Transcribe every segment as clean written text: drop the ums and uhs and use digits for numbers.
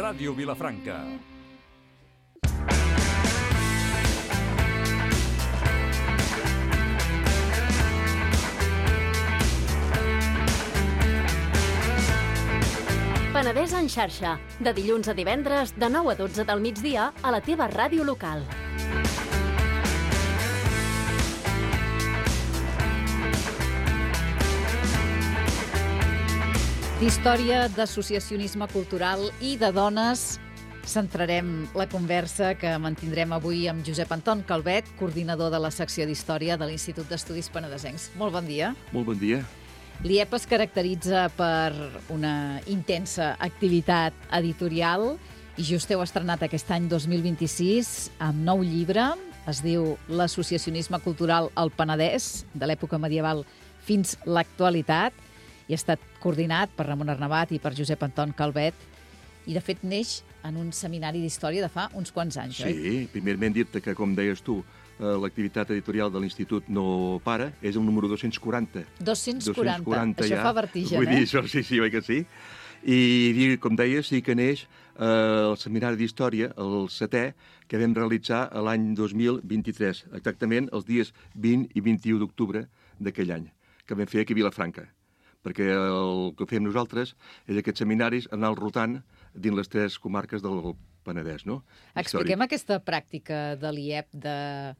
Ràdio Vilafranca. Penedès en xarxa, de dilluns a divendres, de 9 a 12 del migdia, a la teva ràdio local. D'història, d'associacionisme cultural i de dones centrarem la conversa que mantindrem avui amb Josep Anton Calvet, coordinador de la secció d'Història de l'Institut d'Estudis Penedesencs. Molt bon dia. Molt bon dia. L'IEP es caracteritza per una intensa activitat editorial i just heu estrenat aquest any 2026 amb nou llibre. Es diu L'associacionisme cultural al Penedès, de l'època medieval fins l'actualitat, i ha estat coordinat per Ramon Arnabat i per Josep Anton Calvet, i de fet neix en un seminari d'història de fa uns quants anys, oi? Sí, primerament dir-te que, com deies tu, l'activitat editorial de l'Institut no para, és el número 240. 240, això ja fa vertigen, Vull dir, això sí, oi que sí? I, com deies, sí que neix el seminari d'història, el 7è, que vam realitzar l'any 2023, exactament els dies 20 i 21 d'octubre d'aquell any, que vam fer aquí a Vilafranca. Perquè el que fem nosaltres és aquests seminaris anar rotant dins les 3 comarques del Penedès, no? Expliquem aquesta pràctica de l'IEP de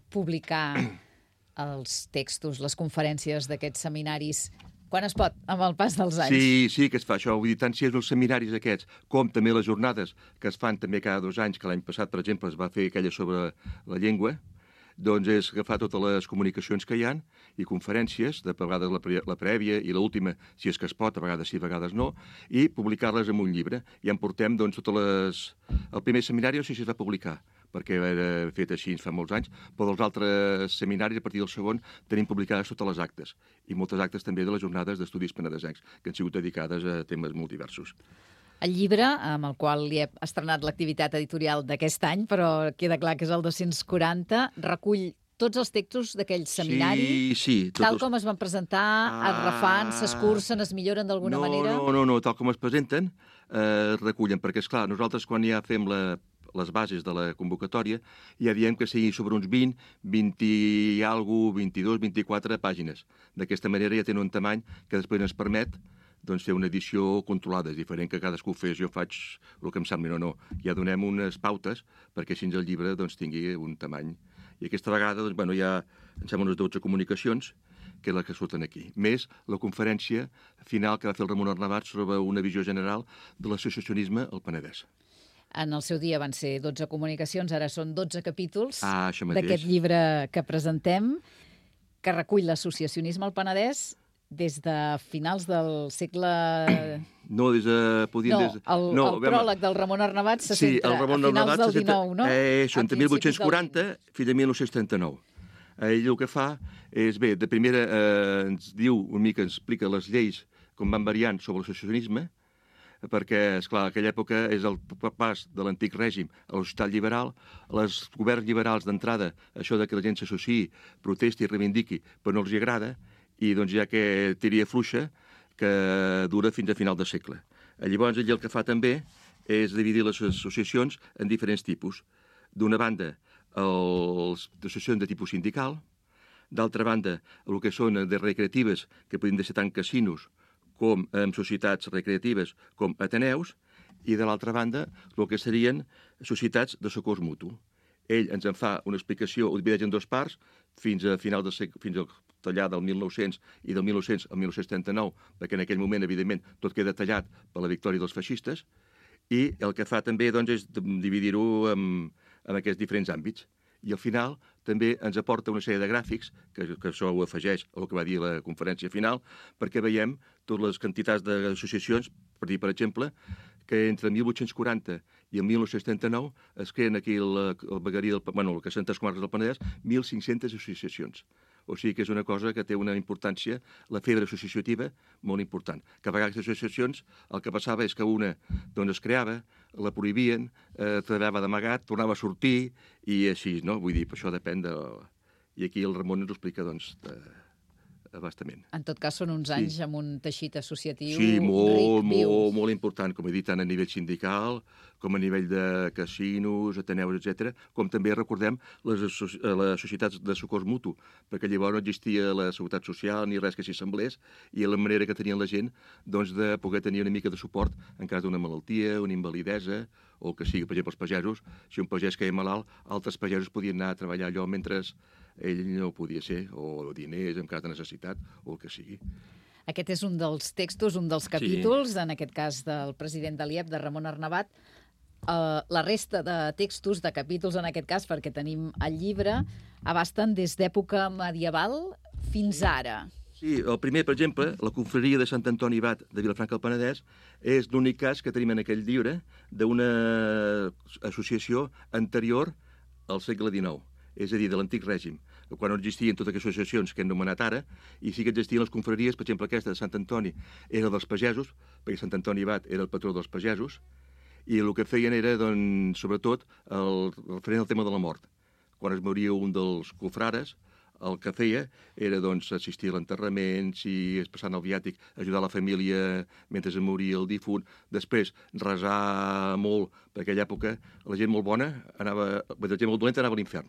publicar els textos, les conferències d'aquests seminaris, quan es pot, amb el pas dels anys. Sí, que es fa això. Vull dir, tant si és els seminaris aquests, com també les jornades que es fan també cada 2 anys, que l'any passat, per exemple, es va fer aquella sobre la llengua, doncs és agafar totes les comunicacions que hi ha i conferències, de vegades la prèvia i l'última, si és que es pot, a vegades sí, a vegades no, i publicar-les en un llibre. I en portem doncs, totes les... El primer seminari no sé si es va publicar, perquè era fet així fa molts anys, però dels altres seminaris, a partir del segon, tenim publicades totes les actes, i moltes actes també de les jornades d'estudis penedesencs, que han sigut dedicades a temes molt diversos. El llibre, amb el qual li he estrenat l'activitat editorial d'aquest any, però queda clar que és el 240, recull tots els textos d'aquell seminari, sí, tal com es van presentar, es refan, s'escurcen, es milloren d'alguna manera? No, tal com es presenten, recullen, perquè, esclar, nosaltres quan ja fem les bases de la convocatòria, ja diem que sigui sobre uns 20 i alguna cosa, 22, 24 pàgines. D'aquesta manera ja tenen un tamany que després ens permet doncs fer una edició controlada, és diferent que cadascú fes, jo faig el que em sembli, no. Ja donem unes pautes perquè així el llibre doncs, tingui un tamany. I aquesta vegada doncs, ja em sembla unes 12 comunicacions, que és la que surten aquí. Més la conferència final que va fer el Ramon Arnabat sobre una visió general de l'associacionisme al Penedès. En el seu dia van ser 12 comunicacions, ara són 12 capítols d'aquest llibre que presentem, que recull l'associacionisme al Penedès des de finals del segle... No, el pròleg del Ramon Arnabat se centra a finals del XIX, no? Això, entre 1840 fins a 1939. Ell el que fa és, bé, de primera ens diu una mica, ens explica les lleis com van variant sobre l'associacionisme, perquè, esclar, aquella època és el pas de l'antic règim a la societat liberal, els governs liberals d'entrada, això de que la gent s'associï, protesti i reivindiqui, però no els agrada, i doncs ja que tiria fluixa, que dura fins a final de segle. Llavors, ell el que fa també és dividir les associacions en diferents tipus. D'una banda, les associacions de tipus sindical, d'altra banda, el que són de recreatives, que podien ser tant casinos com en societats recreatives com ateneus, i de l'altra banda, el que serien societats de socors mutu. Ell ens en fa una explicació, ho divideix en 2 parts, fins a final del segle, fins al tallar del 1900 i del 1900 al 1939, perquè en aquell moment, evidentment, tot queda tallat per la victòria dels feixistes, i el que fa també doncs, és dividir-ho en aquests diferents àmbits. I al final també ens aporta una sèrie de gràfics, que això ho afegeix al que va dir la conferència final, perquè veiem totes les quantitats d'associacions, per dir, per exemple, que entre 1840 i el 1939 es creen aquí el veguerí el que són 3 comarques del Penedès, 1.500 associacions. O sigui que és una cosa que té una importància, la febre associativa, molt important. Que a vegades les associacions el que passava és que una doncs, es creava, la prohibien, treballava d'amagat, tornava a sortir i així, no? Vull dir, per això depèn de... I aquí el Ramon ens ho explica, doncs, abastament. En tot cas, són uns anys amb un teixit associatiu ric, viu. Molt important, com he dit, tant a nivell sindical, com a nivell de casinos, ateneus, etc. Com també recordem les societats de socors mutu, perquè llavors no existia la seguretat social ni res que s'hi semblés, i la manera que tenien la gent de poder tenir una mica de suport en cas d'una malaltia, una invalidesa, o el que sigui. Per exemple, els pagesos, si un pagès queia malalt, altres pagesos podien anar a treballar allò mentre ell no podia ser, o diners en cas de necessitat, o el que sigui. Aquest és un dels textos, un dels capítols, en aquest cas del president de l'IEP, de Ramon Arnabat. La resta de textos, de capítols en aquest cas, perquè tenim el llibre, abasten des d'època medieval fins ara. Sí, el primer, per exemple, la confraria de Sant Antoni Abat de Vilafranca del Penedès és l'únic cas que tenim en aquell llibre d'una associació anterior al segle XIX, és a dir, de l'antic règim, quan no existien totes aquestes associacions que hem anomenat ara, i sí que existien les confraries, per exemple, aquesta de Sant Antoni era dels pagesos, perquè Sant Antoni Abat era el patró dels pagesos, i el que feien era, sobretot, referent al tema de la mort. Quan es moria un dels confrares, el que feia era assistir a l'enterrament, si es passant el viàtic, ajudar la família mentre es moria el difunt, després resar molt, perquè aquella època la gent molt bona anava, la gent molt dolenta anava a l'infern,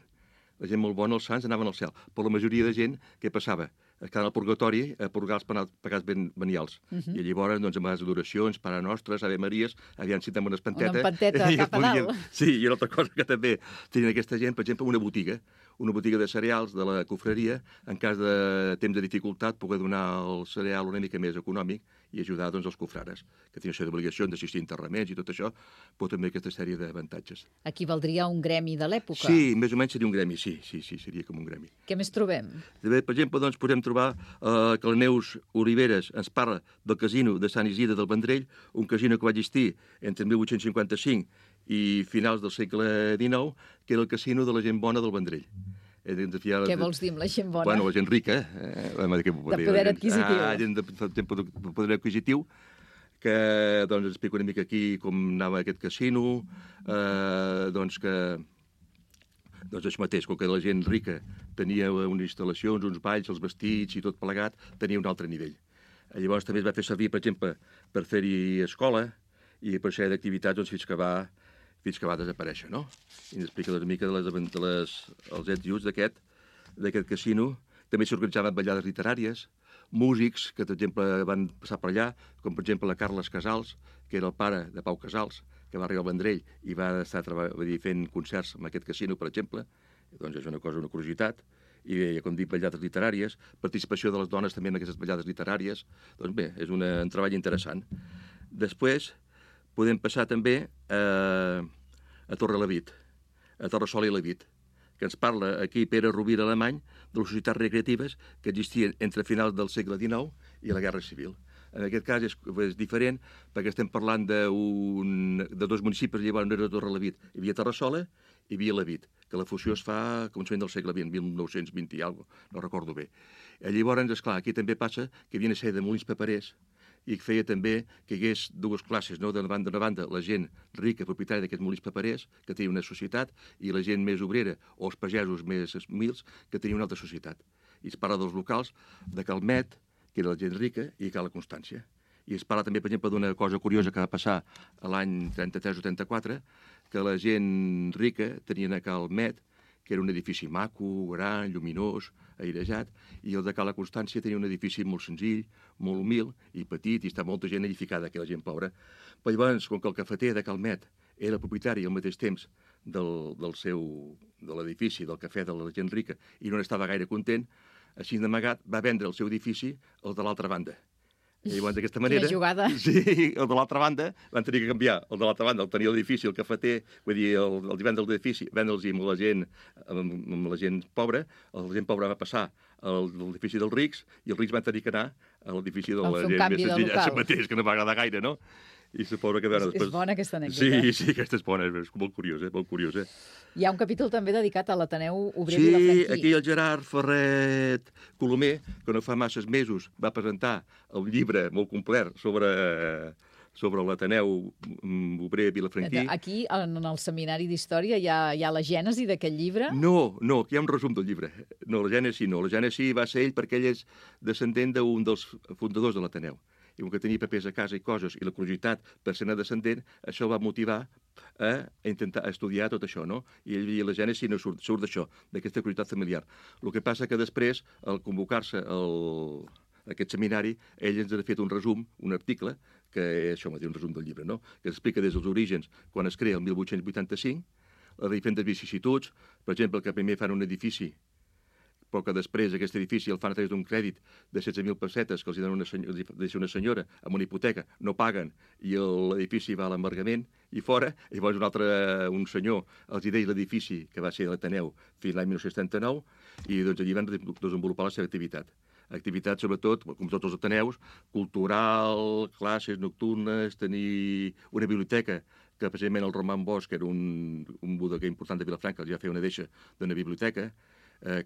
la gent molt bona, els sants, anaven al cel, però la majoria de gent, què passava? Es quedaven al purgatori a purgar els pecats venials. I llavors, amb les adoracions, Pare Nostres, Ave Maries, aviam si tenim una espanteta. Una empanteta cap a dalt. Sí, i una altra cosa que també tenien aquesta gent, per exemple, una botiga de cereals de la confraria, en cas de temps de dificultat, poder donar el cereal una mica més econòmic i ajudar els confrares, que tenien això d'obligacions d'assistir a enterraments i tot això, però també aquesta sèrie d'avantatges. Aquí valdria un gremi de l'època? Sí, més o menys seria un gremi, sí, seria com un gremi. Què més trobem? També, per exemple, podem trobar que la Neus Oliveres ens parla del casino de Sant Isidre del Vendrell, un casino que va existir entre 1855 i finals del segle XIX, que era el casino de la gent bona del Vendrell. Què vols dir amb la gent bona? Bueno, la gent rica. De poder adquisitiu. Gent de poder adquisitiu, que explico una mica aquí com anava aquest casino, això mateix, com que la gent rica tenia unes instal·lacions, uns balls, els vestits i tot plegat, tenia un altre nivell. Llavors també es va fer servir, per exemple, per fer-hi escola i per ser d'activitats fins que va desaparèixer, no? I ens explica una mica els ets i uts d'aquest casino. També s'organitzaven ballades literàries, músics que, per exemple, van passar per allà, com per exemple la Carles Casals, que era el pare de Pau Casals, que va arribar al Vendrell i va estar fent concerts en aquest casino, per exemple. Doncs és una curiositat. I, com dic, ballades literàries, participació de les dones també en aquestes ballades literàries. Doncs bé, és un treball interessant. Després podem passar també a Torrelavit, a Torressol i Lavit, que ens parla aquí Pere Rovira Alemany de les societats recreatives que existien entre finals del segle XIX i la Guerra Civil. En aquest cas és diferent perquè estem parlant de dos municipis, llavors no era Torrelavit, hi havia Terrassola i hi havia Lavit, que la fusió es fa a començament del segle XX, 1920 i alguna cosa, no recordo bé. Llavors, esclar, aquí també passa que hi havia una sèrie de molins paperers i que feia també que hi hagués dues classes, no? D'una banda, la gent rica, propietària d'aquests molins paperers, que tenia una societat, i la gent més obrera, o els pagesos més humils, que tenia una altra societat. I es parla dels locals de Calmet, que era la gent rica, i Cala Constància. I es parla també, per exemple, d'una cosa curiosa que va passar l'any 33 o 34, que la gent rica tenien a Calmet, que era un edifici maco, gran, lluminós, airejat, i el de Cala Constància tenia un edifici molt senzill, molt humil i petit, i està molta gent edificada, que la gent pobra. Però llavors, com que el cafeter de Calmet era propietari al mateix temps de l'edifici, del cafè de la gent rica, i no n'estava gaire content, així d'amagat va vendre el seu edifici al de l'altra banda. I llavors, d'aquesta manera... Quina jugada. Sí, el de l'altra banda van tenir que canviar. El de l'altra banda, el tenia l'edifici, el cafeter, vull dir, el vendre l'edifici, vendre'ls amb la gent pobra, la gent pobra va passar a l'edifici dels rics, i els rics van tenir que anar a l'edifici de la gent més senzilla, això mateix, que no va agradar gaire, no? I suposo que veure després... És bona aquesta anècdota. Sí, aquesta és bona, és molt curiosa, molt curiosa. Hi ha un capítol també dedicat a l'Ateneu Obrer Vilafranquí. Sí, aquí el Gerard Ferret Colomer, que no fa masses mesos va presentar el llibre molt complet sobre sobre l'Ateneu Obrer Vilafranquí. Aquí, en el seminari d'Història, hi ha la gènesi d'aquest llibre? No, aquí hi ha un resum del llibre. No, la gènesi no. La gènesi va ser ell perquè ell és descendent d'un dels fundadors de l'Ateneu. I com que tenia papers a casa i coses, i la curiositat per ser-ne descendent, això el va motivar a intentar estudiar tot això, no? I ell i la gènesi no surt d'això, d'aquesta curiositat familiar. El que passa que després, al convocar-se aquest seminari, ell ens ha fet un resum, un article, que és això, un resum del llibre, no? Que explica des dels orígens, quan es crea el 1885, les diferents vicissituds, per exemple, que primer fan un edifici, però que després aquest edifici el fan a través d'un crèdit de 16.000 pessetes que els donen una senyora amb una hipoteca, no paguen, i l'edifici va a l'embargament, i fora, i llavors un senyor els deia l'edifici, que va ser l'Ateneu fins l'any 1979, i doncs allí van desenvolupar la seva activitat. Activitat, sobretot, com tots els ateneus, cultural, classes nocturnes, tenir una biblioteca, que precisament el Roman Bosch, que era un bodeguer important de Vilafranca, els va fer una deixa d'una biblioteca,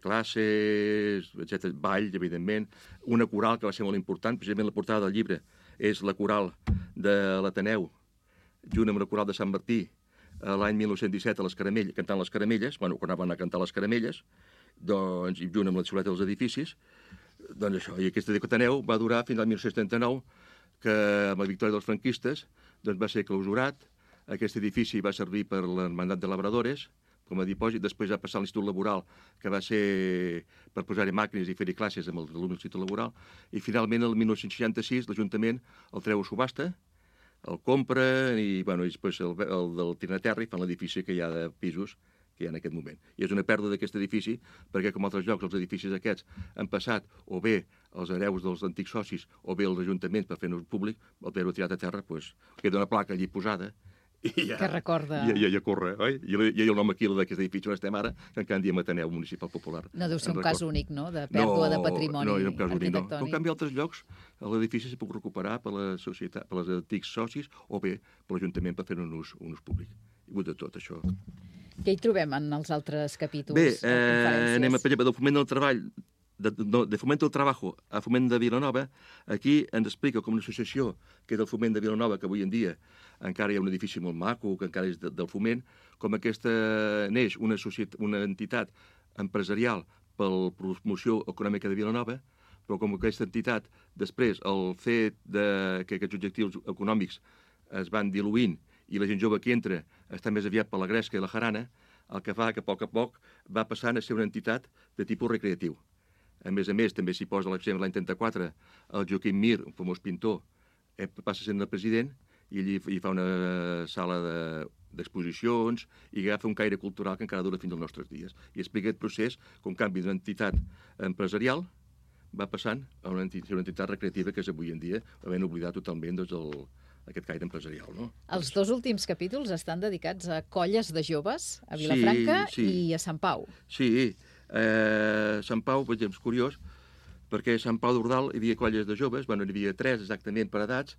classes, etc., balls, evidentment, una coral que va ser molt important, precisament la portada del llibre és la coral de l'Ateneu, junt amb la coral de Sant Martí, l'any 1917 a les Caramelles, cantant les Caramelles, quan anaven a cantar les Caramelles, doncs, i junt amb la xuleta dels edificis, doncs això, i aquest Ateneu va durar fins al 1979, que amb la victòria dels franquistes doncs va ser clausurat, aquest edifici va servir per l'Hermandat de Labradores, com a dipòsit, després va passar a l'Institut Laboral, que va ser per posar-hi màquines i fer-hi classes amb els alumnes de l'Institut Laboral, i finalment, el 1966, l'Ajuntament el treu a subhasta, el compra, i després el del Trinaterri fan l'edifici que hi ha de pisos que hi ha en aquest moment. I és una pèrdua d'aquest edifici, perquè com altres llocs, els edificis aquests han passat o bé els hereus dels antics socis o bé els ajuntaments per fer-nos públic, el haver-ho tirat a terra, doncs, queda una placa allí posada, i ja, que recorda... Ja corre, oi? I el nom aquí d'aquest edifici on estem ara, que encara en diem Ateneu Municipal Popular. No deu ser un cas únic, no?, de pèrdua de patrimoni arquitectònic. No, és un cas únic, no. Però, en canvi, altres llocs, l'edifici s'ha pogut recuperar per la societat, per els antics socis, o bé per l'Ajuntament per fer un ús públic. Hi ha hagut de tot, això. Què hi trobem en els altres capítols? Bé, anem a parlar del foment del treball, de Fomento del Trabajo a Foment de Vilanova. Aquí ens explica com una associació que és del Foment de Vilanova, que avui en dia encara hi ha un edifici molt maco, que encara és del Foment, com aquesta neix una entitat empresarial per la promoció econòmica de Vilanova, però com aquesta entitat, després, el fet que aquests objectius econòmics es van diluint i la gent jove que entra està més aviat per la gresca i la jarana, el que fa que a poc va passant a ser una entitat de tipus recreatiu. A més, també s'hi posa l'exemple l'any 34, el Joaquim Mir, un famós pintor, passa sent el president i allí hi fa una sala d'exposicions i agafa un caire cultural que encara dura fins als nostres dies. I explica aquest procés com canvi d'una entitat empresarial va passant a una entitat recreativa que és avui en dia, havent oblidat totalment aquest caire empresarial. No? Els dos últims capítols estan dedicats a colles de joves a Vilafranca i a Sant Pau. Sí, Sant Pau, per exemple, és curiós, perquè a Sant Pau d'Ordal hi havia colles de joves, n'hi havia 3 exactament per edats,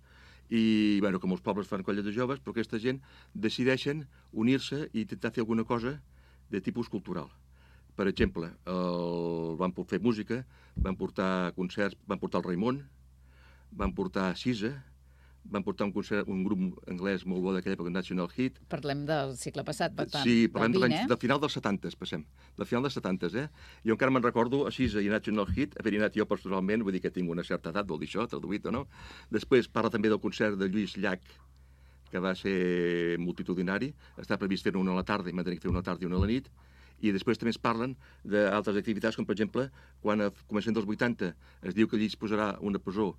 i com els pobles fan colles de joves, però aquesta gent decideixen unir-se i intentar fer alguna cosa de tipus cultural. Per exemple, van fer música, van portar concerts, van portar el Raimon, van portar Sisa, van portar un grup anglès molt bo d'aquella època, National Hit. Parlem del segle passat, per tant. Sí, parlem del final dels 70s, passem. Del final dels 70s, Jo encara me'n recordo a Sisa i National Hit, haver anat jo personalment, vull dir que tinc una certa edat, vol dir això, traduït o no. Després parla també del concert de Lluís Llach, que va ser multitudinari. Està previst fer-ne una a la tarda i m'han de fer una a la tarda i una a la nit. I després també es parlen d'altres activitats, com per exemple, quan a començament dels 80 es diu que allí es posarà una presó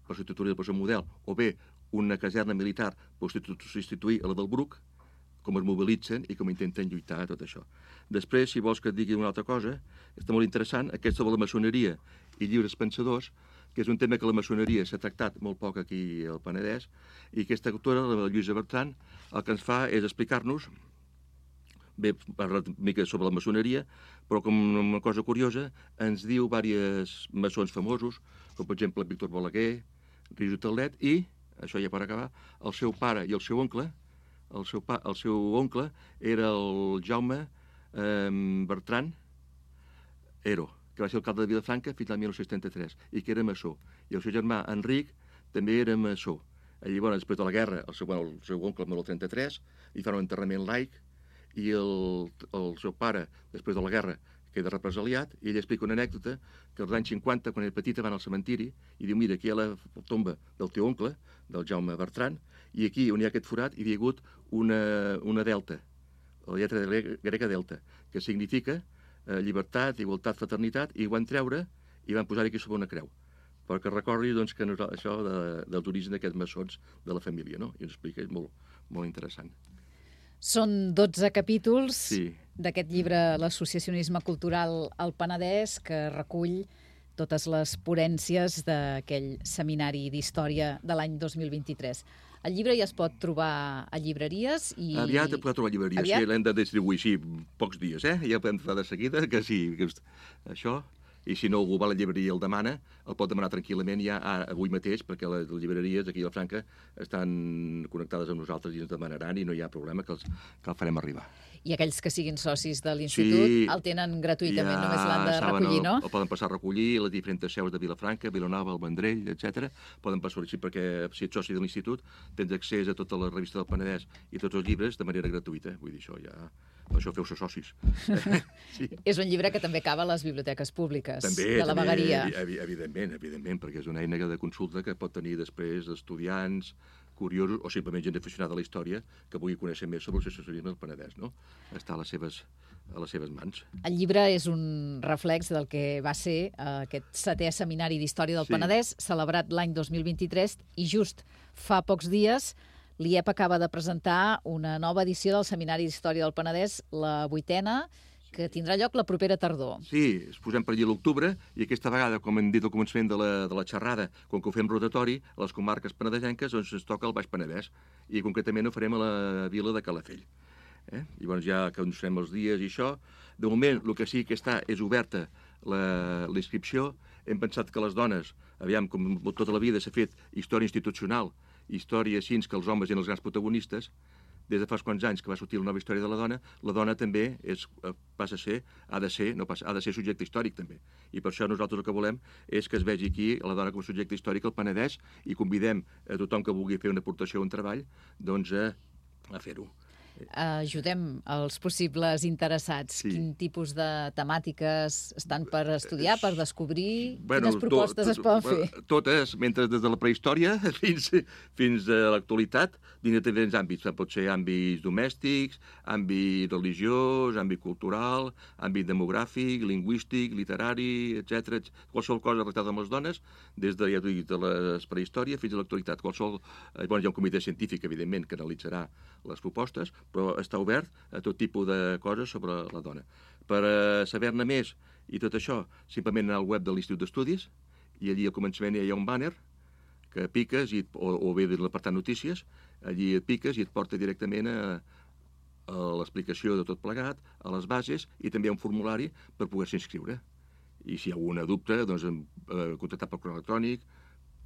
per substituir la presó model, o bé una caserna militar per substituir a la del Bruc, com es mobilitzen i com intenten lluitar tot això. Després, si vols que et digui una altra cosa, està molt interessant, aquest sobre la maçoneria i lliures pensadors, que és un tema que la maçoneria s'ha tractat molt poc aquí al Penedès, i aquesta autora, la Lluïsa Bertran, el que ens fa és explicar-nos, bé, parla una mica sobre la maçoneria, però com una cosa curiosa, ens diu diversos maçons famosos, com per exemple Víctor Balaguer, Rius Telet, i, això ja per acabar, el seu pare i el seu oncle, el seu oncle era el Jaume Bertran Ero, que va ser alcalde de Vilafranca fins al 1973, i que era maçó. I el seu germà Enric també era maçó. Allí, després de la guerra, el seu oncle mor el 33, li fan un enterrament laic, i el seu pare, després de la guerra, queda represaliat, i ell explica una anècdota que als anys 50, quan era petita, van al cementiri i diu, mira, aquí hi ha la tomba del teu oncle, del Jaume Bertran, i aquí on hi ha aquest forat hi havia hagut una delta, la lletra grega delta, que significa llibertat, igualtat, fraternitat, i ho van treure i van posar aquí sobre una creu, perquè recordi doncs, que això dels orígens d'aquests maçons de la família, no? I ens explica, és molt, molt interessant. Són 12 capítols Sí. d'aquest llibre L'associacionisme cultural al Penedès, que recull totes les ponències d'aquell seminari d'història de l'any 2023. El llibre ja es pot trobar a llibreries i... Aviat el podeu trobar a llibreries, sí, l'hem de distribuir, sí, pocs dies, ja el podem trobar de seguida, que sí, que això... I si no algú va a la llibreria i el demana, el pot demanar tranquil·lament ja avui mateix, perquè les llibreries aquí a la Franca estan connectades amb nosaltres i ens demanaran i no hi ha problema, que el farem arribar. I aquells que siguin socis de l'Institut el tenen gratuïtament, només l'han de recollir, no? El poden passar a recollir a les diferents seus de Vilafranca, Vilanova, el Vendrell, etc. Poden passar així perquè si ets soci de l'Institut tens accés a tota la revista del Penedès i tots els llibres de manera gratuïta. Vull dir, això ja... Per això feu-se socis. Sí. És un llibre que també acaba a les biblioteques públiques també, de la vegueria. Evidentment, perquè és una eina de consulta que pot tenir després estudiants, curiosos o simplement gent aficionada a la història que vulgui conèixer més sobre l'associacionisme del Penedès, no? Està a les seves mans. El llibre és un reflex del que va ser aquest 7è seminari d'història del Penedès, celebrat l'any 2023, i just fa pocs dies l'IEP acaba de presentar una nova edició del Seminari d'Història del Penedès, la 8a, que tindrà lloc la propera tardor. Sí, es posem per allà a l'octubre, i aquesta vegada, com hem dit al començament de la xerrada, com que ho fem rotatori, a les comarques penedesenques, doncs ens toca el Baix Penedès, i concretament ho farem a la vila de Calafell. Llavors ja que ens farem els dies i això, de moment el que sí que està és oberta la inscripció. Hem pensat que les dones, aviam, com tota la vida s'ha fet història institucional, història així que els homes eren els grans protagonistes, des de fa uns quants anys que va sortir la nova història de la dona també ha de ser subjecte històric també. I per això nosaltres el que volem és que es vegi aquí la dona com a subjecte històric al Penedès i convidem a tothom que vulgui fer una aportació o un treball doncs a fer-ho. Ajudem els possibles interessats. Sí. Quin tipus de temàtiques estan per estudiar, per descobrir? Quines propostes es poden fer? Totes, mentre des de la prehistòria fins a l'actualitat, dins de diferents àmbits. Pot ser àmbits domèstics, àmbit religiós, àmbit cultural, àmbit demogràfic, lingüístic, literari, etc. Qualsevol cosa relacionada amb les dones, des de la prehistòria fins a l'actualitat. Hi ha un comitè científic, evidentment, que analitzarà les propostes, però està obert a tot tipus de coses sobre la dona. Per saber-ne més i tot això, simplement anar al web de l'Institut d'Estudis, i allí al començament hi ha un bàner que piques, o bé de l'apartat notícies, allí et piques i et porta directament a l'explicació de tot plegat, a les bases, i també a un formulari per poder-se inscriure. I si hi ha alguna dubte, doncs contactar per correu electrònic,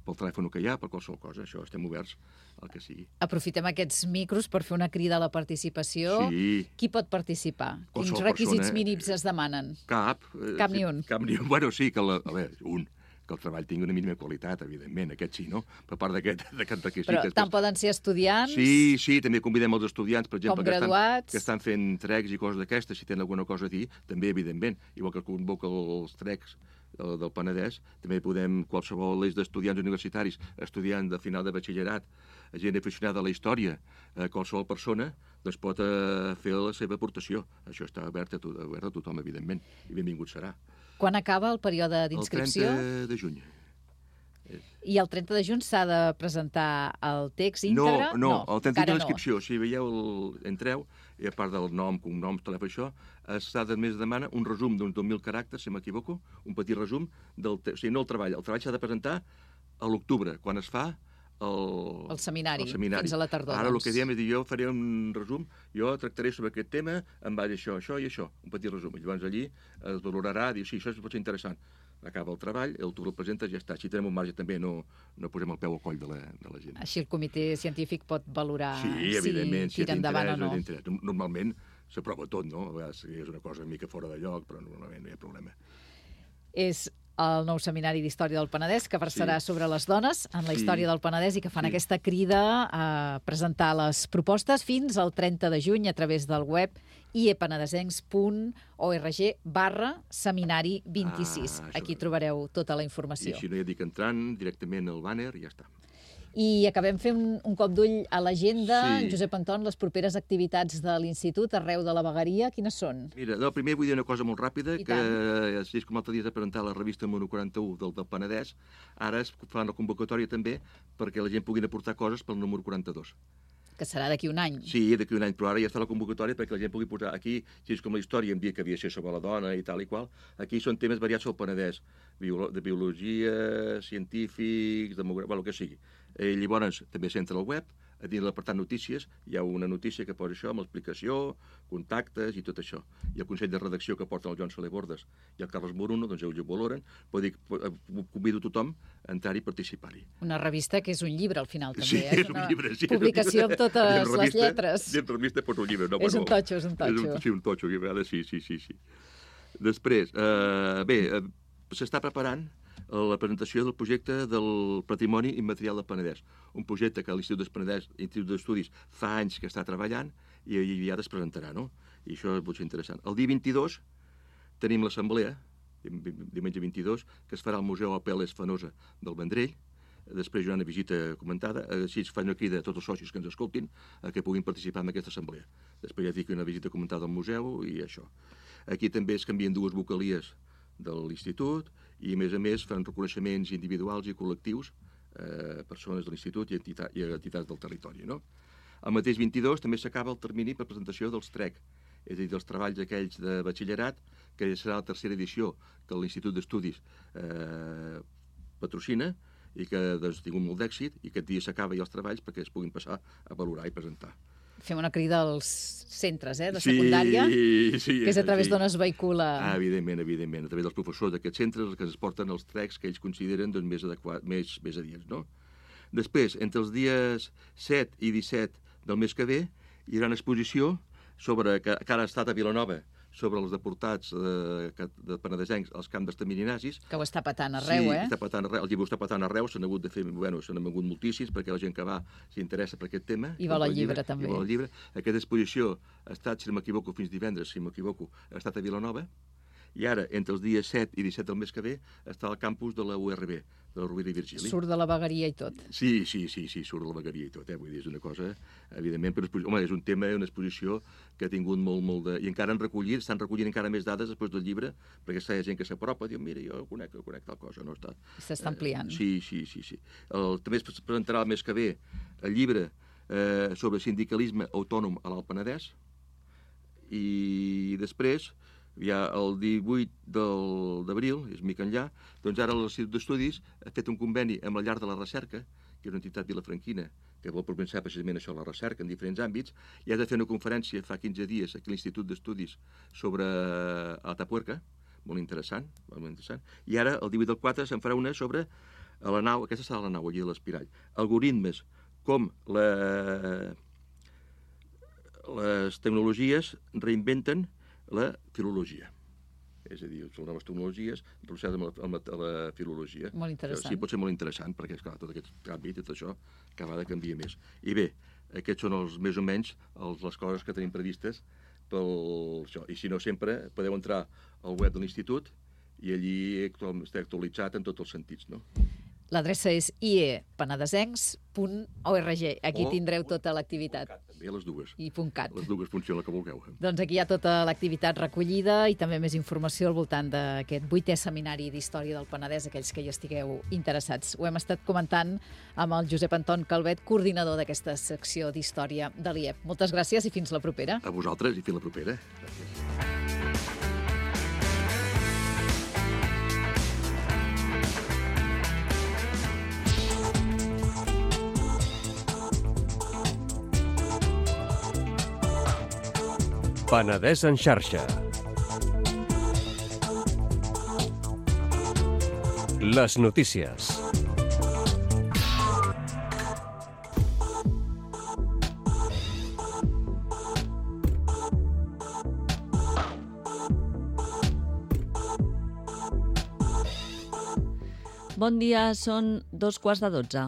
pel telèfon que hi ha, per qualsevol cosa, això, estem oberts al que sigui. Aprofitem aquests micros per fer una crida a la participació. Sí. Qui pot participar? Quins Qualsevol requisits persona. mínims es demanen? Cap. Cap ni un. Cap ni un. Bueno, sí, que que el treball tingui una mínima qualitat, evidentment, aquest sí, no? Per part d'aquest requisit. Però tant poden ser estudiants... Sí, també convidem els estudiants, per exemple, graduats, que estan fent trecs i coses d'aquestes, si tenen alguna cosa a dir, també, evidentment. Igual que convoca els trecs del Penedès, també podem, qualsevol eix d'estudiants universitaris, estudiants de final de batxillerat, gent aficionada a la història, qualsevol persona doncs pot fer la seva aportació. Això està obert a tothom, evidentment, i benvingut serà. Quan acaba el període d'inscripció? El 30 de juny. I el 30 de juny s'ha de presentar el text íntegre? No, el 30 de l'inscripció. Si veieu, entreu, i a part del nom, cognoms, telèfon, això, més demana un resum d'uns 2.000 caràcters, si m'equivoco, un petit resum, no el treball. El treball s'ha de presentar a l'octubre, quan es fa el seminari, fins a la tardor. Ara el que diem és dir, jo faré un resum, jo tractaré sobre aquest tema en base a això i això, un petit resum. Llavors allí es valorarà, dir, sí, això pot ser interessant. Acaba el treball, tu el presentes i ja està. Així tenim un marge també, no posem el peu al coll de la gent. Així el comitè científic pot valorar si tira endavant o no. Normalment s'aprova tot, no? A vegades és una cosa una mica fora de lloc, però normalment no hi ha problema. És el nou seminari d'Història del Penedès, que versarà sobre les dones en la història del Penedès i que fan aquesta crida a presentar les propostes fins al 30 de juny a través del web iepenedesencs.org/seminari26. Aquí trobareu tota la informació. I així no hi ha dic entrant directament al bàner i ja està. I acabem fent un cop d'ull a l'agenda. Josep Anton, les properes activitats de l'Institut arreu de la Vegueria, quines són? Mira, primer vull dir una cosa molt ràpida, que és com l'altre dia de presentar la revista número 41 del Penedès, ara es fa una convocatòria també perquè la gent pugui aportar coses pel número 42. Que serà d'aquí un any. Sí, d'aquí un any, però ara ja està la convocatòria perquè la gent pugui posar aquí, si és com la història, em dia que havia de ser sobre la dona i tal i qual, aquí són temes variats al Penedès, de biologia, científics, demografia, el que sigui. Llavors, també s'entra al web, a dins l'apartat notícies, hi ha una notícia que posa això, amb explicació, contactes i tot això. I el Consell de Redacció que porten el Joan Soler Bordes i el Carles Moruno, doncs ells ho valoren, vull dir, convido tothom a entrar-hi i participar-hi. Una revista que és un llibre, al final, també. Sí, és un llibre, sí. Publicació amb totes les lletres. Dins revista posa un llibre. És un totxo, és un totxo. Sí, un totxo, sí. Després, s'està preparant la presentació del projecte del Patrimoni Immaterial del Penedès, un projecte que l'Institut d'Estudis fa anys que està treballant i ja es presentarà, no? I això pot ser interessant. El dia 22 tenim l'assemblea, diumenge 22, que es farà al Museu Apel·les Fenosa del Vendrell. Després hi haurà una visita comentada, així es fa una crida a tots els socis que ens escoltin que puguin participar en aquesta assemblea. Després ja dic una visita comentada al museu i això. Aquí també es canvien dues vocalies de l'Institut i, a més, fan reconeixements individuals i col·lectius a persones de l'Institut i a entitats del territori, no? El mateix 22 també s'acaba el termini per presentació dels TREC, és a dir, dels treballs aquells de batxillerat, que serà la tercera edició que l'Institut d'Estudis patrocina i que ha tingut molt d'èxit i aquest dia s'acaba ja els treballs perquè es puguin passar a valorar i presentar. Fem una crida als centres de secundària, que és a través d'on es vehicula... Evidentment, a través dels professors d'aquests centres que es porten els trecs que ells consideren més adients, no? Després, entre els dies 7 i 17 del mes que ve, hi haurà una exposició que ara ha estat a Vilanova, sobre els deportats de penedesencs als camps d'extermini nazis. Que ho està patant arreu, Sí, està patant arreu, el llibre està patant arreu, s'han hagut de fer, se n'han vengut moltíssims, perquè la gent que va s'interessa per aquest tema. I vol el llibre, també. I vol el llibre. Aquesta exposició ha estat, si no m'equivoco, fins divendres, si m'equivoco, ha estat a Vilanova, i ara, entre els dies 7 i 17 del mes que ve, està al campus de la URB, de la Rovira i Virgili. Surt de la Vegueria i tot. Sí, surt de la Vegueria i tot, vull dir, és una cosa, evidentment, però és un tema, una exposició que ha tingut molt de... I encara estan recollint encara més dades després del llibre, perquè hi ha gent que s'apropa i diu, mira, jo conec tal cosa, no està... S'està ampliant. Sí. També es presentarà el mes que ve el llibre sobre sindicalisme autònom a l'Alt Penedès, i després... Ja el 18 d'abril, és mica enllà, doncs ara l'Institut d'Estudis ha fet un conveni amb la Llar de la Recerca, que és una entitat vilafranquina, que vol propensar precisament això a la recerca en diferents àmbits, i ha de fer una conferència fa 15 dies aquí a l'Institut d'Estudis sobre Atapuerca, molt interessant, i ara, el 18 del 4, se'n farà una sobre la nau, aquesta serà la nau allí de l'Espirall, algoritmes com les tecnologies reinventen la filologia. És a dir, les noves tecnologies relacionades amb la filologia. Molt interessant. Sí, pot ser molt interessant, perquè, esclar, tot aquest canvi, tot això, cada vegada canvia més. I bé, aquests són més o menys les coses que tenim previstes pel això. I si no, sempre podeu entrar al web de l'Institut i allí està actualitzat en tots els sentits, no? L'adreça és iepenedesencs.org. Aquí tindreu tota l'activitat. També les dues. I .cat. Les dues funcionen el que vulgueu. Doncs aquí hi ha tota l'activitat recollida i també més informació al voltant d'aquest 8è seminari d'Història del Penedès, aquells que hi estigueu interessats. Ho hem estat comentant amb el Josep Anton Calvet, coordinador d'aquesta secció d'Història de l'IEP. Moltes gràcies i fins la propera. A vosaltres i fins la propera. Gràcies. Penedès en xarxa. Les notícies. Bon dia, són 2:15.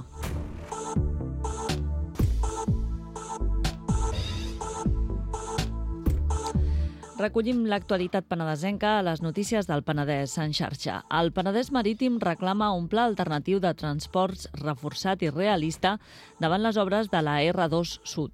Recollim l'actualitat penedesenca a les notícies del Penedès en xarxa. El Penedès Marítim reclama un pla alternatiu de transports reforçat i realista davant les obres de la R2 Sud.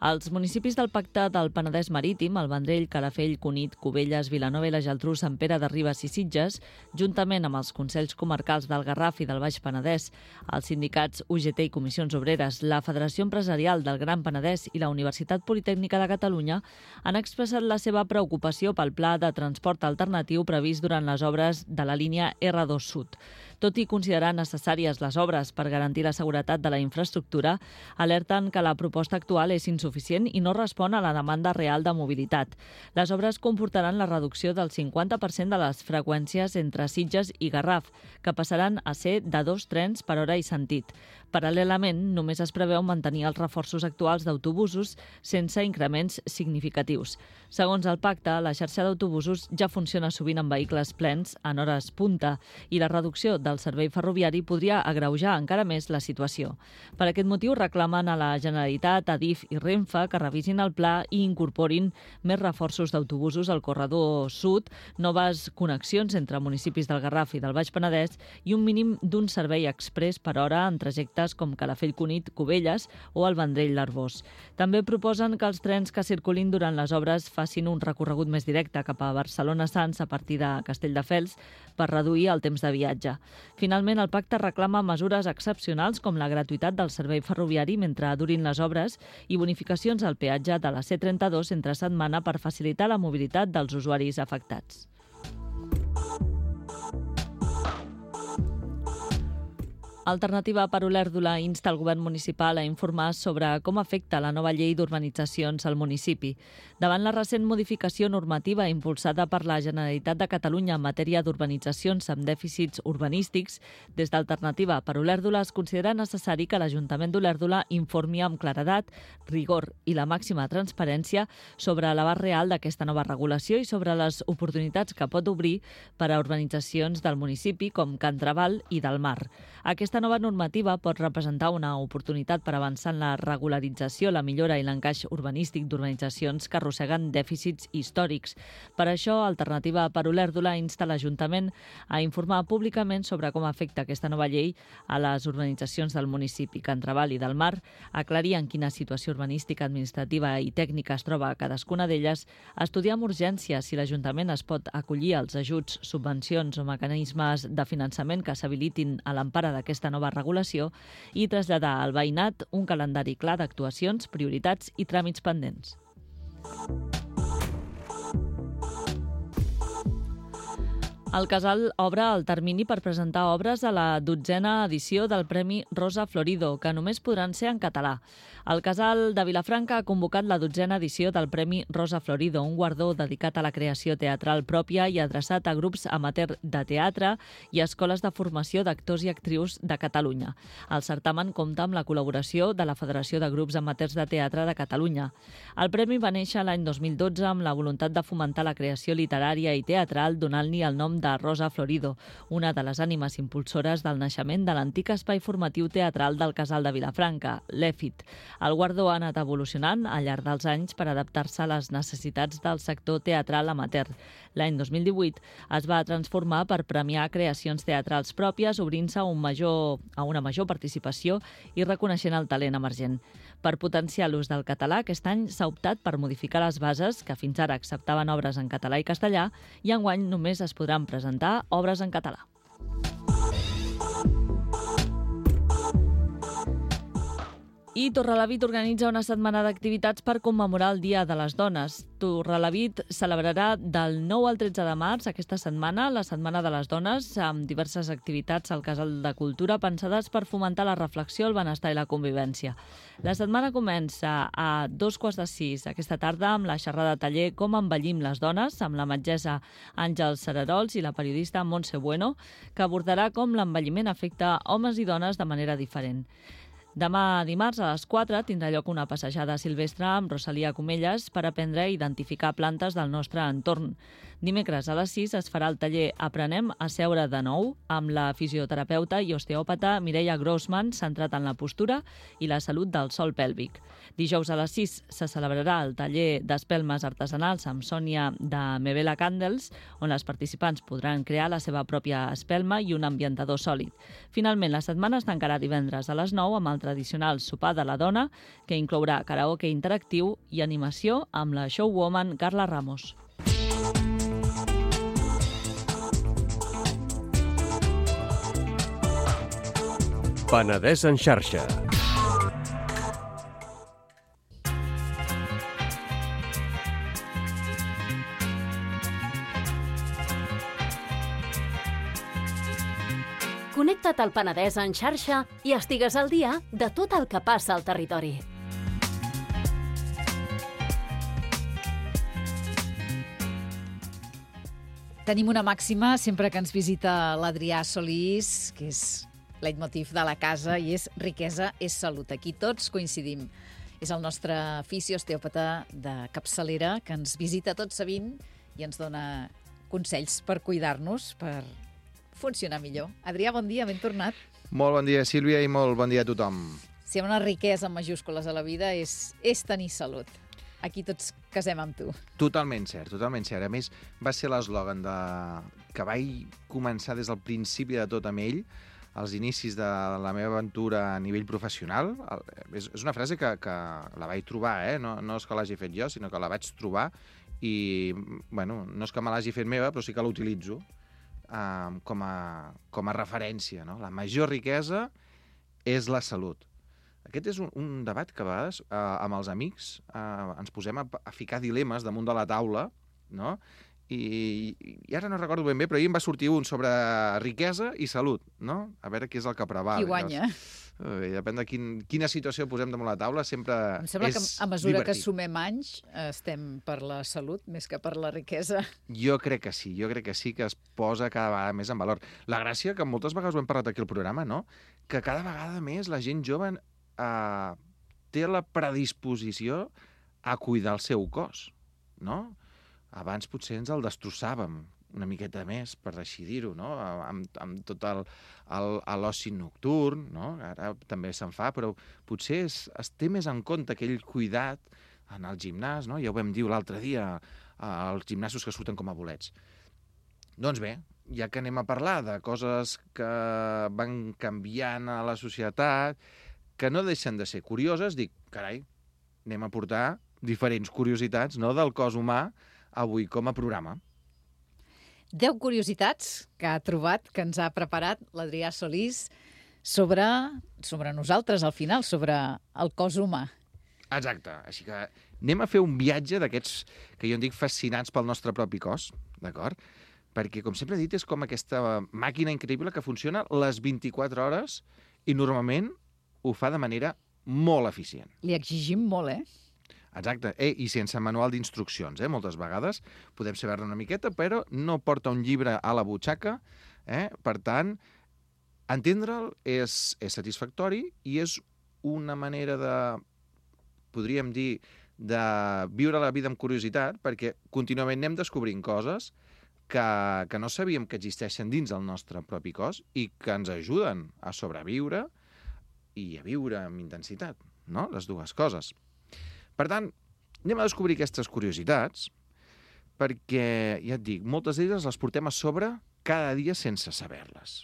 Els municipis del Pacte del Penedès Marítim, el Vendrell, Calafell, Cunit, Cubelles, Vilanova i la Geltrú, Sant Pere de Ribes i Sitges, juntament amb els Consells Comarcals del Garraf i del Baix Penedès, els sindicats UGT i Comissions Obreres, la Federació Empresarial del Gran Penedès i la Universitat Politècnica de Catalunya han expressat la seva preocupació pel pla de transport alternatiu previst durant les obres de la línia R2 Sud. Tot i considerar necessàries les obres per garantir la seguretat de la infraestructura, alerten que la proposta actual és insuficient i no respon a la demanda real de mobilitat. Les obres comportaran la reducció del 50% de les freqüències entre Sitges i Garraf, que passaran a ser de 2 trens per hora i sentit. Paral·lelament, només es preveu mantenir els reforços actuals d'autobusos sense increments significatius. Segons el pacte, la xarxa d'autobusos ja funciona sovint amb vehicles plens en hores punta i la reducció del servei ferroviari podria agreujar encara més la situació. Per aquest motiu reclamen a la Generalitat, Adif i Renfe que revisin el pla i incorporin més reforços d'autobusos al corredor sud, noves connexions entre municipis del Garraf i del Baix Penedès i un mínim d'un servei exprés per hora en trajectes com Calafell-Cunit, Cubelles o el Vendrell-l'Arbós. També proposen que els trens que circulin durant les obres facin un recorregut més directe cap a Barcelona-Sants a partir de Castelldefels per reduir el temps de viatge. Finalment, el pacte reclama mesures excepcionals com la gratuïtat del servei ferroviari mentre durin les obres i bonificacions al peatge de la C32 entre setmana per facilitar la mobilitat dels usuaris afectats. Alternativa per Olèrdola insta el govern municipal a informar sobre com afecta la nova llei d'urbanitzacions al municipi. Davant la recent modificació normativa impulsada per la Generalitat de Catalunya en matèria d'urbanitzacions amb dèficits urbanístics, des d'Alternativa per Olèrdola es considera necessari que l'Ajuntament d'Olèrdola informi amb claredat, rigor i la màxima transparència sobre l'abast real d'aquesta nova regulació i sobre les oportunitats que pot obrir per a urbanitzacions del municipi com Can Trabal i del Mar. Aquesta nova normativa pot representar una oportunitat per avançar en la regularització, la millora i l'encaix urbanístic d'urbanitzacions que arrosseguen dèficits històrics. Per això, Alternativa per Olèrdola insta l'Ajuntament a informar públicament sobre com afecta aquesta nova llei a les urbanitzacions del municipi. Can Trabal i del Mar, aclarir en quina situació urbanística, administrativa i tècnica es troba cadascuna d'elles, estudiar amb urgència si l'Ajuntament es pot acollir als ajuts, subvencions o mecanismes de finançament que s'habilitin a l'empara d'aquesta nova regulació i traslladar al veïnat un calendari clar d'actuacions, prioritats i tràmits pendents. El Casal obre el termini per presentar obres a la 12a edició del Premi Rosa Florido, que només podran ser en català. El Casal de Vilafranca ha convocat la 12a edició del Premi Rosa Florido, un guardó dedicat a la creació teatral pròpia i adreçat a grups amateur de teatre i a escoles de formació d'actors i actrius de Catalunya. El certamen compta amb la col·laboració de la Federació de Grups Amateurs de Teatre de Catalunya. El premi va néixer l'any 2012 amb la voluntat de fomentar la creació literària i teatral, donant-li el nom de Rosa Florido, una de les ànimes impulsores del naixement de l'antic espai formatiu teatral del Casal de Vilafranca, l'EFIT. El guardó ha anat evolucionant al llarg dels anys per adaptar-se a les necessitats del sector teatral amateur. L'any 2018 es va transformar per premiar creacions teatrals pròpies, obrint-se a una major participació i reconeixent el talent emergent. Per potenciar l'ús del català, aquest any s'ha optat per modificar les bases, que fins ara acceptaven obres en català i castellà, i enguany només es podran presentar obres en català. I Torrelavit organitza una setmana d'activitats per commemorar el Dia de les Dones. Torrelavit celebrarà del 9 al 13 de març aquesta setmana, la Setmana de les Dones, amb diverses activitats al Casal de Cultura pensades per fomentar la reflexió, el benestar i la convivència. La setmana comença a 5:45 aquesta tarda amb la xerrada taller Com envellim les dones, amb la metgessa Àngels Cerarols i la periodista Montse Bueno, que abordarà com l'envelliment afecta homes i dones de manera diferent. Demà dimarts a les 4 tindrà lloc una passejada silvestre amb Rosalia Comelles per aprendre a identificar plantes del nostre entorn. Dimecres a les 6 es farà el taller Aprenem a seure de nou amb la fisioterapeuta i osteòpata Mireia Grossman, centrat en la postura i la salut del sòl pèlvic. Dijous a les 6 se celebrarà el taller d'espelmes artesanals amb Sònia de Mevela Candles, on les participants podran crear la seva pròpia espelma i un ambientador sòlid. Finalment, la setmana es tancarà divendres a les 9 amb el tradicional sopar de la dona, que inclourà karaoke interactiu i animació amb la showwoman Carla Ramos. Penedès en xarxa. Connecta't al Penedès en xarxa i estigues al dia de tot el que passa al territori. Tenim una màxima sempre que ens visita l'Adrià Solís, que és leitmotiv de la casa, i és riquesa és salut. Aquí tots coincidim. És el nostre fisiosteòpata de capçalera que ens visita tot sovint i ens dona consells per cuidar-nos, per funcionar millor. Adrià, bon dia, ben tornat. Molt bon dia, Sílvia, i molt bon dia a tothom. Si hi ha una riquesa amb majúscules a la vida és tenir salut. Aquí tots casem amb tu. Totalment cert, totalment cert. A més, va ser l'eslògan que vaig començar des del principi de tot amb ell, als inicis de la meva aventura a nivell professional. És una frase que la vaig trobar, no és que l'hagi fet jo, sinó que la vaig trobar i, bueno, no és que me l'hagi fet meva, però sí que l'utilitzo com a referència, no? La major riquesa és la salut. Aquest és un debat que a vegades amb els amics ens posem a ficar dilemes damunt de la taula, no? I ara no recordo ben bé, però ahir em va sortir un sobre riquesa i salut, no? A veure què és el que preval. Qui guanya? Depèn de quina situació posem damunt la taula, sempre és divertit. Em sembla que a mesura que sumem anys estem per la salut més que per la riquesa. Jo crec que sí, que es posa cada vegada més en valor. La gràcia, que moltes vegades ho hem parlat aquí al programa, no? Que cada vegada més la gent jove té la predisposició a cuidar el seu cos, no? Abans potser ens el destrossàvem una miqueta més, per així dir-ho, no? Amb tot l'oci nocturn, no? Ara també se'n fa, però potser es té més en compte aquell cuidat en el gimnàs, no? Ja ho vam dir l'altre dia, els gimnasos que surten com a bolets. Doncs bé, ja que anem a parlar de coses que van canviant a la societat, que no deixen de ser curioses, dic, carai, anem a portar diferents curiositats, no?, del cos humà avui com a programa. 10 curiositats que ha trobat, que ens ha preparat l'Adrià Solís sobre nosaltres, al final, sobre el cos humà. Exacte. Així que anem a fer un viatge d'aquests que jo en dic fascinants pel nostre propi cos, d'acord? Perquè, com sempre he dit, és com aquesta màquina increïble que funciona les 24 hores i normalment ho fa de manera molt eficient. Li exigim molt, Exacte, i sense manual d'instruccions, moltes vegades. Podem saber-ne una miqueta, però no porta un llibre a la butxaca. Per tant, entendre'l és satisfactori i és una manera podríem dir, de viure la vida amb curiositat, perquè contínuament anem descobrint coses que no sabíem que existeixen dins del nostre propi cos i que ens ajuden a sobreviure i a viure amb intensitat, no? Les dues coses. Per tant, anem a descobrir aquestes curiositats perquè, ja et dic, moltes d'elles les portem a sobre cada dia sense saber-les.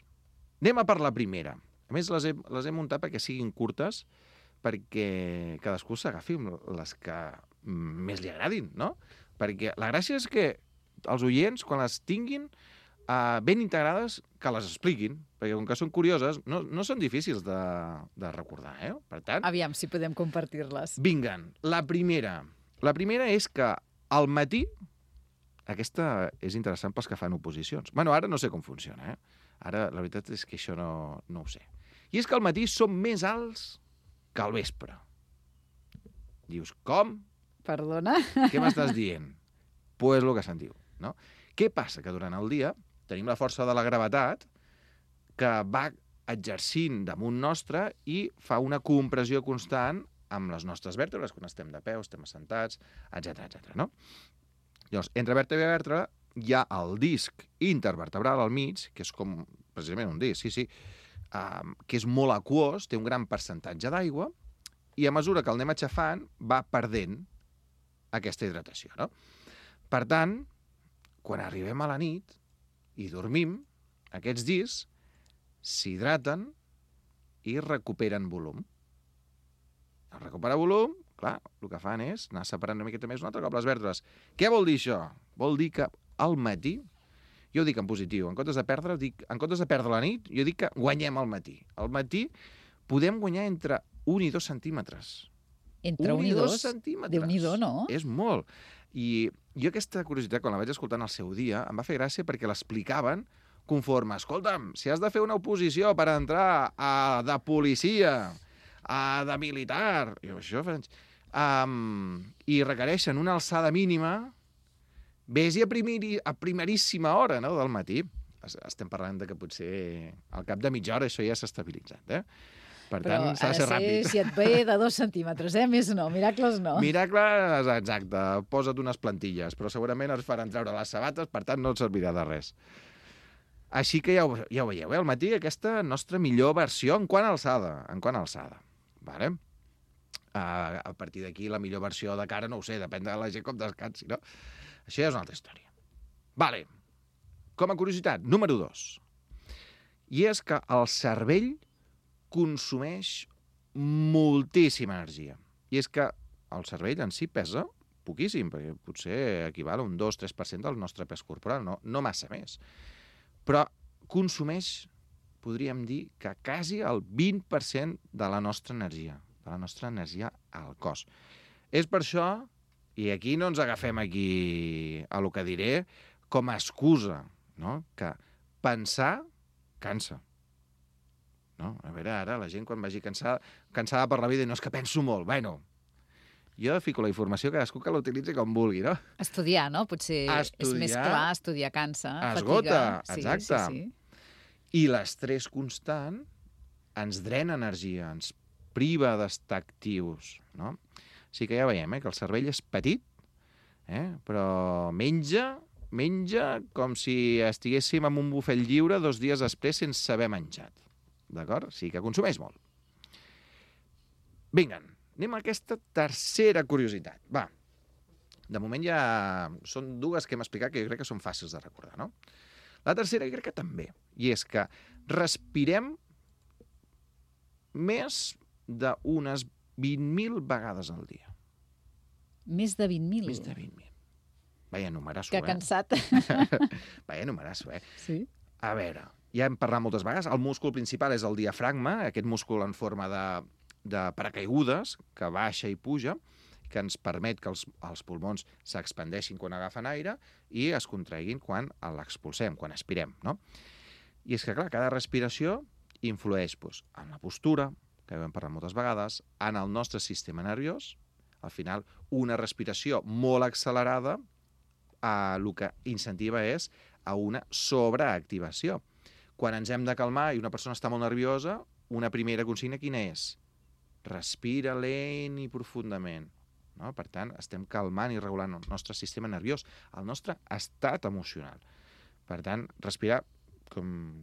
Anem a per la primera. A més, les he muntat perquè siguin curtes, perquè cadascú s'agafi les que més li agradin, no? Perquè la gràcia és que els oients, quan les tinguin ben integrades, que les expliquin, perquè com que són curioses, no són difícils de recordar, Per tant... Aviam si podem compartir-les. Vinguen. La primera és que al matí, aquesta és interessant pels que fan oposicions. Bueno, ara no sé com funciona, Ara la veritat és que això no ho sé. I és que al matí som més alts que al vespre. Dius, com? Perdona? Què m'estàs dient? Pues el que se'n diu, no? Què passa? Que durant el dia tenim la força de la gravetat que va exercint damunt nostre i fa una compressió constant amb les nostres vèrtebres, quan estem de peu, estem assentats, etc, no? Llavors, entre vèrtebra i vèrtebra hi ha el disc intervertebral al mig, que és com precisament un disc, que és molt aquós, té un gran percentatge d'aigua, i a mesura que el anem aixafant va perdent aquesta hidratació, no? Per tant, quan arribem a la nit i dormim, aquests discs s'hidraten i recuperen volum. Al recuperar volum, clar, el que fan és anar separant una miqueta més un altre cop les vèrtebres. Què vol dir això? Vol dir que al matí, jo ho dic en positiu, en comptes de perdre la nit, jo dic que guanyem al matí. Al matí podem guanyar entre 1 i 2 centímetres. Entre 1 i 2 centímetres. Déu-n'hi-do, no? És molt. I jo aquesta curiositat, quan la vaig escoltar en el seu dia, em va fer gràcia perquè l'explicaven conforme, escolta'm, si has de fer una oposició per entrar de policia, de militar, i requereixen una alçada mínima, vés-hi a primeríssima hora, no?, del matí. Estem parlant de que potser al cap de mitja hora això ja s'ha estabilitzat, Per tant, s'ha de ser ràpid. Si et ve de 2 centímetres, Més no, miracles no. Miracles, exacte. Posa't unes plantilles, però segurament es faran treure les sabates, per tant no et servirà de res. Així que ja ho veieu, al matí aquesta nostra millor versió en quant a alçada. Vale? A partir d'aquí, la millor versió de cara, no ho sé, depèn de la gent com descansi, no? Això ja és una altra història. Vale. Com a curiositat, número 2. I és que el cervell consumeix moltíssima energia. I és que el cervell en si pesa poquíssim, perquè potser equival a un 2-3% del nostre pes corporal, no massa més. Però consumeix, podríem dir, que quasi el 20% de la nostra energia al cos. És per això, i aquí no ens agafem aquí a lo que diré, com a excusa, no?, que pensar cansa. No? A veure, ara la gent quan vagi cansada per la vida i no és que penso molt. Bueno, jo fico la informació, cadascú que l'utilitzi com vulgui, no? Estudiar, no? Potser és més clar, estudiar cansa, esgota, fatiga. exacte. Sí. I l'estrès constant ens drena energia, ens priva d'estar actius, no? Així que ja veiem, que el cervell és petit, però menja com si estiguéssim en un bufet lliure 2 dies després sense haver menjat. D'acord? Sí que consumeix molt. Vinga, anem a aquesta tercera curiositat. Va, de moment ja són 2 que hem explicat que jo crec que són fàcils de recordar, no? La tercera jo crec que també, i és que respirem més d'unes 20.000 vegades al dia. Més de 20.000? Més de 20.000. Vaya numerasso, Que cansat. Vaya numerasso, Sí. A veure, ja hem parlat moltes vegades, el múscul principal és el diafragma, aquest múscul en forma de paracaigudes, que baixa i puja, que ens permet que els pulmons s'expandeixin quan agafen aire i es contraiguin quan l'expulsem, quan aspirem, no? I és que, clar, cada respiració influeix en la postura, que hem parlat moltes vegades, en el nostre sistema nerviós. Al final, una respiració molt accelerada el que incentiva és a una sobreactivació. Quan ens hem de calmar i una persona està molt nerviosa, una primera consigna quina és? Respira lent i profundament. No? Per tant, estem calmant i regulant el nostre sistema nerviós, el nostre estat emocional. Per tant, respirar, com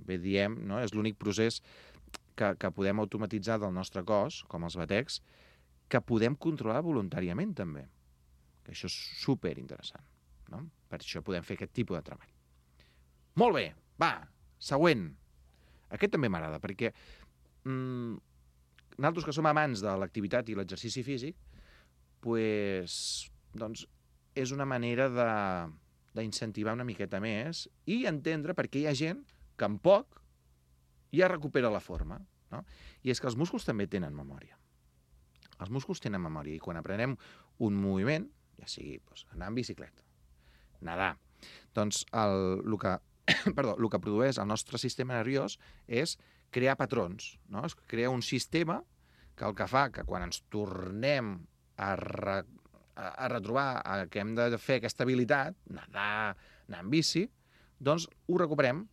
bé diem, no? És l'únic procés que podem automatitzar del nostre cos, com els batecs, que podem controlar voluntàriament també. Que això és superinteressant. No? Per això podem fer aquest tipus de treball. Molt bé, va, següent. Aquest també m'agrada, perquè nosaltres que som amants de l'activitat i l'exercici físic, doncs és una manera d'incentivar una miqueta més i entendre per què hi ha gent que en poc ja recupera la forma. No? I és que els músculs també tenen memòria. Els músculs tenen memòria i quan aprenem un moviment, ja sigui anar en bicicleta, nedar, doncs el que produeix el nostre sistema nerviós és crear patrons, no? Es crea un sistema que el que fa que quan ens tornem a retrobar que hem de fer aquesta habilitat, nedar, anar en bici, doncs ho recuperem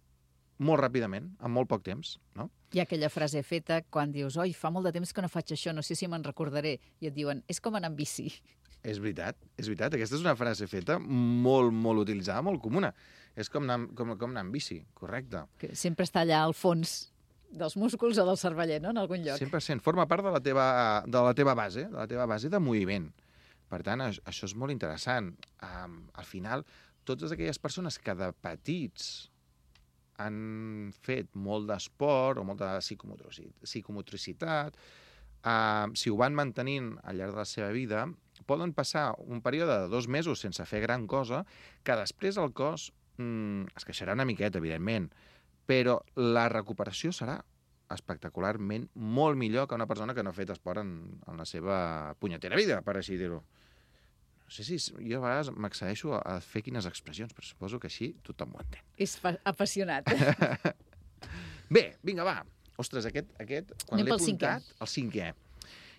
molt ràpidament, en molt poc temps, no? Hi ha aquella frase feta quan dius oi, fa molt de temps que no faig això, no sé si me'n recordaré. I et diuen, és com anar amb bici. És veritat. Aquesta és una frase feta molt, molt utilitzada, molt comuna. És com anar amb bici, correcte. Que sempre està allà al fons dels músculs o del cerveller, no?, en algun lloc. 100%. Forma part de la teva base de moviment. Per tant, això és molt interessant. Al final, totes aquelles persones que de petits han fet molt d'esport o molta psicomotricitat, si ho van mantenint al llarg de la seva vida, poden passar un període de 2 mesos sense fer gran cosa, que després el cos es queixarà una miqueta, evidentment, però la recuperació serà espectacularment molt millor que una persona que no ha fet esport en la seva punyetera vida, per així dir-ho. No sé si jo a vegades m'accedeixo a fer quines expressions, però suposo que així tothom ho entén. És apassionat. Bé, vinga, va. Ostres, aquest quan l'he apuntat, el 5è.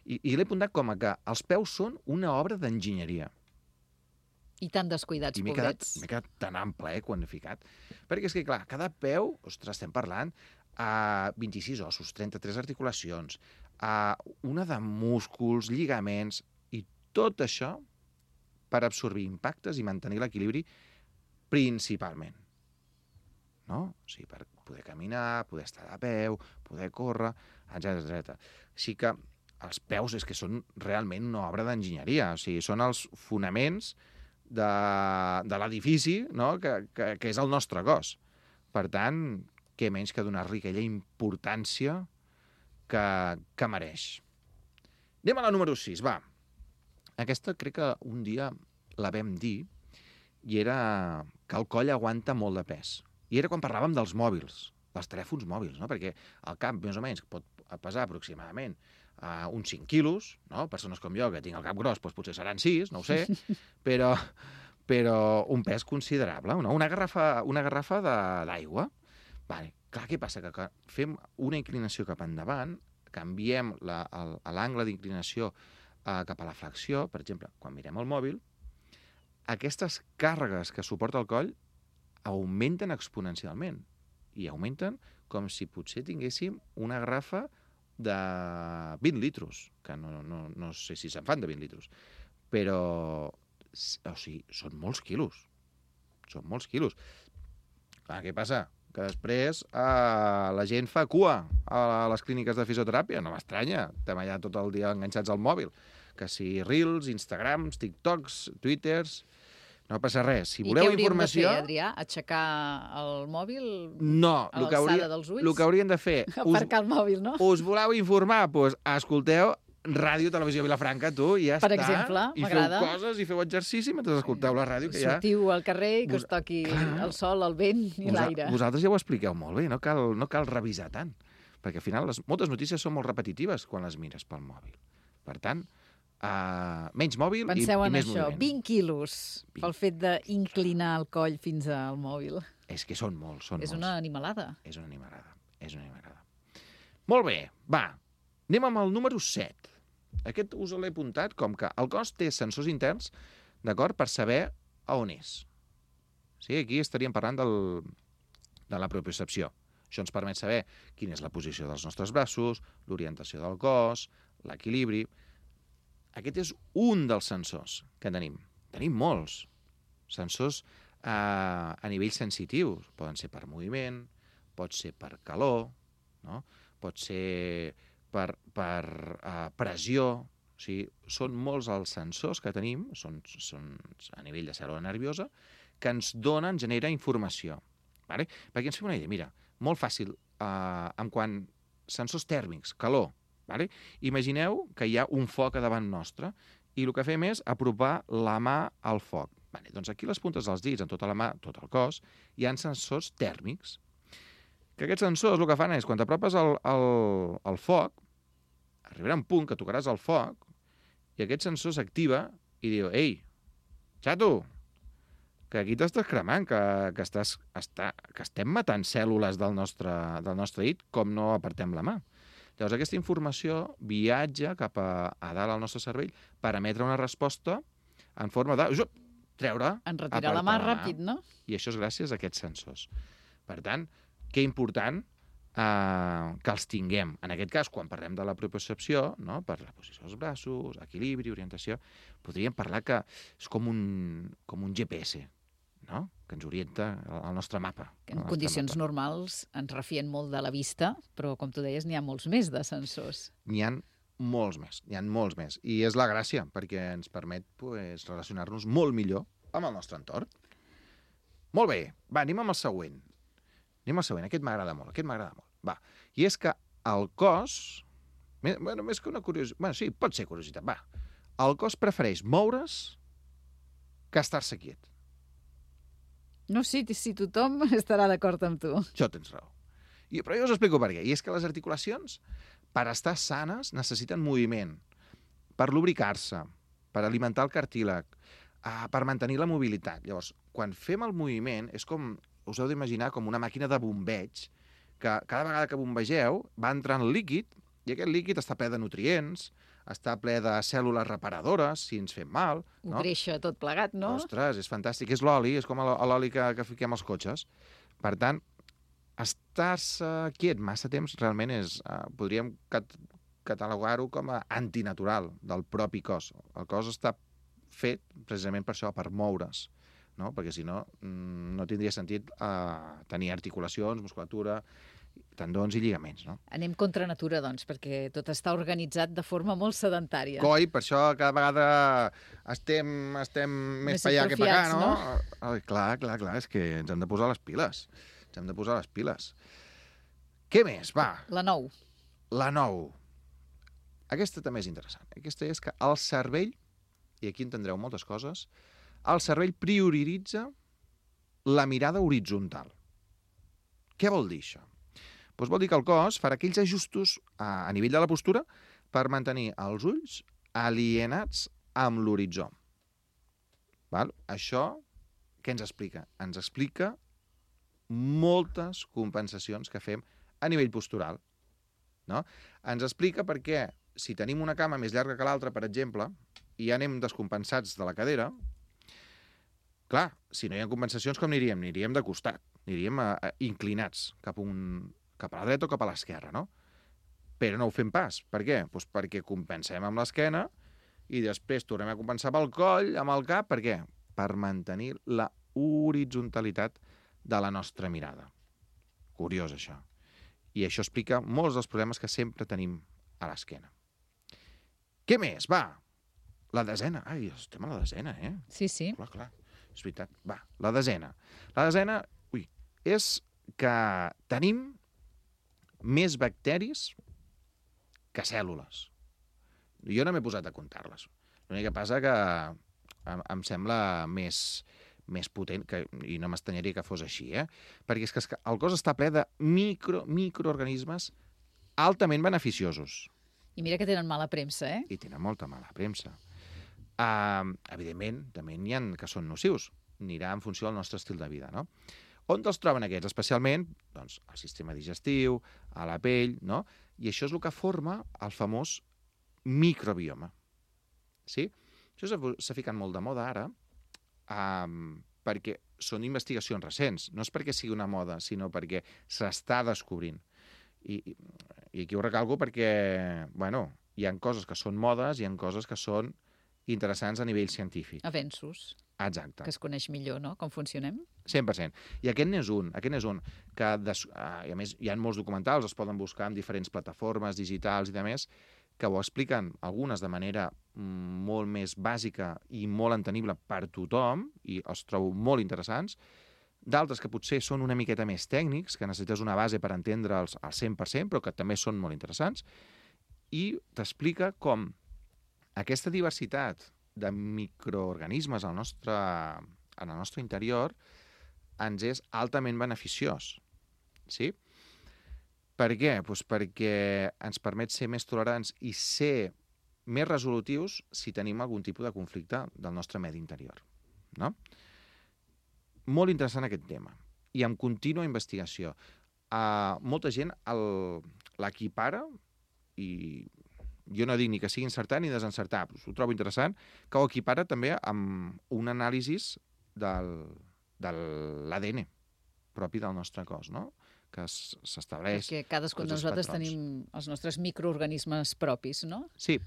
I l'he apuntat com a que els peus són una obra d'enginyeria. I tan descuidats, pobrets. M'he quedat tan ample, quan he ficat. Perquè és que, clar, cada peu, ostres, estem parlant, 26 ossos, 33 articulacions, una de músculs, lligaments, i tot això per absorbir impactes i mantenir l'equilibri principalment. No? O sigui, per poder caminar, poder estar de peu, poder córrer, etc. Així que els peus és que són realment una obra d'enginyeria. O sigui, són els fonaments de l'edifici, no?, que és el nostre cos. Per tant, què menys que donar-li aquella importància que mereix. Anem a la número 6, va. Aquesta crec que un dia la vam dir i era que el coll aguanta molt de pes. I era quan parlàvem dels mòbils, dels telèfons mòbils, no? Perquè el cap, més o menys, pot pesar aproximadament uns 5 quilos, no? Persones com jo, que tinc el cap gros, doncs potser seran 6, no ho sé, però un pes considerable, no? Una garrafa d'aigua. Vale. Clar, què passa? Que fem una inclinació cap endavant, canviem l'angle d'inclinació cap a la flexió, per exemple, quan mirem el mòbil, aquestes càrregues que suporta el coll augmenten exponencialment i augmenten com si potser tinguéssim una garrafa de 20 litros, que no sé si se'n fan de 20 litros, però o sigui, són molts quilos. Són molts quilos. Clar, què passa? Que després la gent fa cua a les clíniques de fisioteràpia. No m'estranya, estem allà tot el dia enganxats al mòbil. Que si Reels, Instagrams, TikToks, Twitters... No passa res. Si voleu informació... I què hauríem de fer, Adrià? Aixecar el mòbil a l'alçada dels ulls? El que hauríem de fer... Aparcar el mòbil, no? Us voleu informar? Doncs escolteu Ràdio Televisió Vilafranca, tu, i ja està. Per exemple, m'agrada. I feu coses i feu exercici mentre escolteu la ràdio. Sortiu al carrer i que us toqui el sol, el vent i l'aire. Vosaltres ja ho expliqueu molt bé, no cal revisar tant. Perquè al final moltes notícies són molt repetitives quan les mires pel mòbil. Per tant, menys mòbil i més moviment. Penseu en això, 20 quilos pel fet d'inclinar el coll fins al mòbil. És que són molts, són molts. És una animalada. És una animalada. Molt bé, va, anem amb el número 7. Aquest us l'he apuntat com que el cos té sensors interns, d'acord, per saber a on és. Sí, aquí estaríem parlant de la propiocepció. Això ens permet saber quina és la posició dels nostres braços, l'orientació del cos, l'equilibri. Aquest és un dels sensors que tenim. Tenim molts sensors a nivell sensitiu. Poden ser per moviment, pot ser per calor, no? Pot ser per pressió. O sigui, són molts els sensors que tenim, són a nivell de cèl·lula nerviosa, que ens genera informació. Vale? Perquè ens fem una idea, mira, molt fàcil, en quant sensors tèrmics, calor. Vale? Imagineu que hi ha un foc a davant nostre i el que fem és apropar la mà al foc. Vale, doncs aquí les puntes dels dits, en tota la mà, tot el cos, hi ha sensors tèrmics. Que aquests sensors el que fan és, quan t'apropes al foc, arribarà un punt que tocaràs el foc i aquest sensor s'activa i diu, ei, xato, que aquí t'estàs cremant, que estem matant cèl·lules del nostre dit com no apartem la mà. Llavors aquesta informació viatja cap a dalt al nostre cervell per emetre una resposta en forma de treure, en retirar la mà ràpid, no? I això és gràcies a aquests sensors. Per tant, que important que els tinguem. En aquest cas, quan parlem de la propiocepció, no? Per la posició dels braços, equilibri, orientació, podríem parlar que és com un GPS, no? Que ens orienta al nostre mapa. En condicions normals ens refien molt de la vista, però, com tu deies, n'hi ha molts més de sensors. N'hi ha molts més. I és la gràcia, perquè ens permet relacionar-nos molt millor amb el nostre entorn. Molt bé, va, anem amb el següent. Aquest m'agrada molt, Va, i és que el cos, més que una curiositat, sí, pot ser curiositat, va. El cos prefereix moure's que estar-se quiet. No sé si tothom estarà d'acord amb tu. Això tens raó. Però jo us explico per què. I és que les articulacions, per estar sanes, necessiten moviment, per lubricar-se, per alimentar el cartílag, per mantenir la mobilitat. Llavors, quan fem el moviment, és com, us heu d'imaginar com una màquina de bombeig, que cada vegada que bombegeu va entrant líquid, i aquest líquid està ple de nutrients, està ple de cèl·lules reparadores, si ens fem mal. Ho créixer tot plegat, no? Ostres, és fantàstic. És l'oli, és com l'oli que fiquem als cotxes. Per tant, estar-se quiet massa temps realment és... podríem catalogar-ho com a antinatural del propi cos. El cos està fet precisament per això, per moure's, no? Perquè si no, no tindria sentit tenir articulacions, musculatura, tendons i lligaments, no? Anem contra natura, doncs, perquè tot està organitzat de forma molt sedentària. Coi, per això cada vegada estem més per allà que per acá, no? Clar, és que ens hem de posar les piles. Què més? Va. La 9. Aquesta també és interessant. Aquesta és que el cervell, i aquí entendreu moltes coses, el cervell prioritza la mirada horitzontal. Què vol dir això? Doncs vol dir que el cos farà aquells ajustos a nivell de la postura per mantenir els ulls alienats amb l'horitzó. Això què ens explica? Ens explica moltes compensacions que fem a nivell postural. No? Ens explica perquè si tenim una cama més llarga que l'altra, per exemple, i ja anem descompensats de la cadera, clar, si no hi ha compensacions, com aniríem? Aniríem de costat, aniríem inclinats cap a la dreta o cap a l'esquerra, no? Però no ho fem pas. Per què? Doncs perquè compensem amb l'esquena i després tornem a compensar pel coll, amb el cap. Per què? Per mantenir la horitzonalitat de la nostra mirada. Curiós, això. I això explica molts dels problemes que sempre tenim a l'esquena. Què més? Va, la desena. Ai, estem a la desena, eh? Sí. Clar, és veritat. Va, la desena. La desena, és que tenim més bacteris que cèl·lules. Jo no m'he posat a comptar-les. L'únic que passa que em sembla més potent, i no m'estanyaria que fos així, perquè és que el cos està ple de microorganismes altament beneficiosos. I mira que tenen mala premsa, eh? I tenen molta mala premsa. Evidentment, també n'hi ha que són nocius. Anirà en funció del nostre estil de vida, no? On els troben aquests? Especialment, doncs, al sistema digestiu, a la pell, no? I això és el que forma el famós microbioma. Sí? Això s'ha ficat molt de moda ara, perquè són investigacions recents. No és perquè sigui una moda, sinó perquè s'està descobrint. I aquí ho recalco perquè, hi ha coses que són modes, hi ha coses que són interessants a nivell científic. Avenços. Exacte. Que es coneix millor, no?, com funcionem. 100%. I aquest n'és un, que a més hi ha molts documentals, es poden buscar en diferents plataformes digitals i demés, que ho expliquen algunes de manera molt més bàsica i molt entenible per tothom, i els trobo molt interessants, d'altres que potser són una miqueta més tècnics, que necessites una base per entendre'ls al 100%, però que també són molt interessants, i t'explica com aquesta diversitat de microorganismes en el nostre interior ens és altament beneficiós. Sí? Per què? Doncs perquè ens permet ser més tolerants i ser més resolutius si tenim algun tipus de conflicte del nostre medi interior. No? Molt interessant aquest tema. I amb contínua investigació. Molta gent l'equipara, i jo no dic ni que sigui encertar ni desencertar, però ho trobo interessant, que ho equipara també amb un anàlisi de l'ADN. propi del nostre cos, no? Que s'estableix... Perquè cadascun de nosaltres tenim els nostres microorganismes propis, no? Sí.